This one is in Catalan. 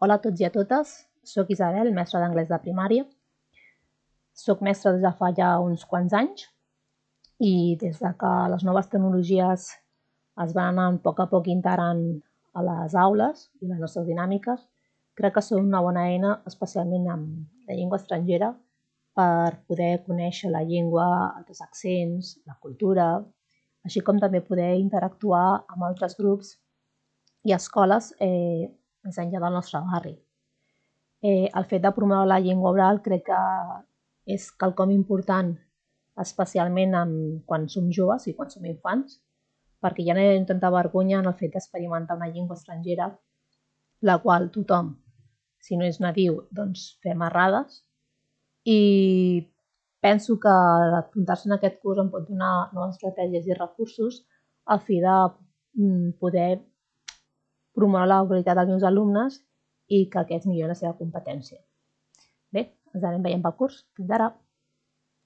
Hola a tots i a totes, soc Isabel, mestra d'anglès de primària. Soc mestra des de fa ja uns quants anys i des de que les noves tecnologies es van anar a poc integrant a les aules i les nostres dinàmiques, crec que són una bona eina, especialment amb la llengua estrangera, per poder conèixer la llengua, altres accents, la cultura, així com també poder interactuar amb altres grups i escoles més enllà del nostre barri. El fet de promoure la llengua oral crec que és quelcom important, especialment quan som joves i quan som infants, perquè ja no hi ha tanta vergonya en el fet d'experimentar una llengua estrangera, la qual tothom, si no és nadiu, doncs fem errades. I penso que apuntar-se en aquest curs em pot donar noves estratègies i recursos a fi de poder promoure la qualitat dels meus alumnes i que aquests millorin la seva competència. Bé, ens anem veient pel curs. Fins ara!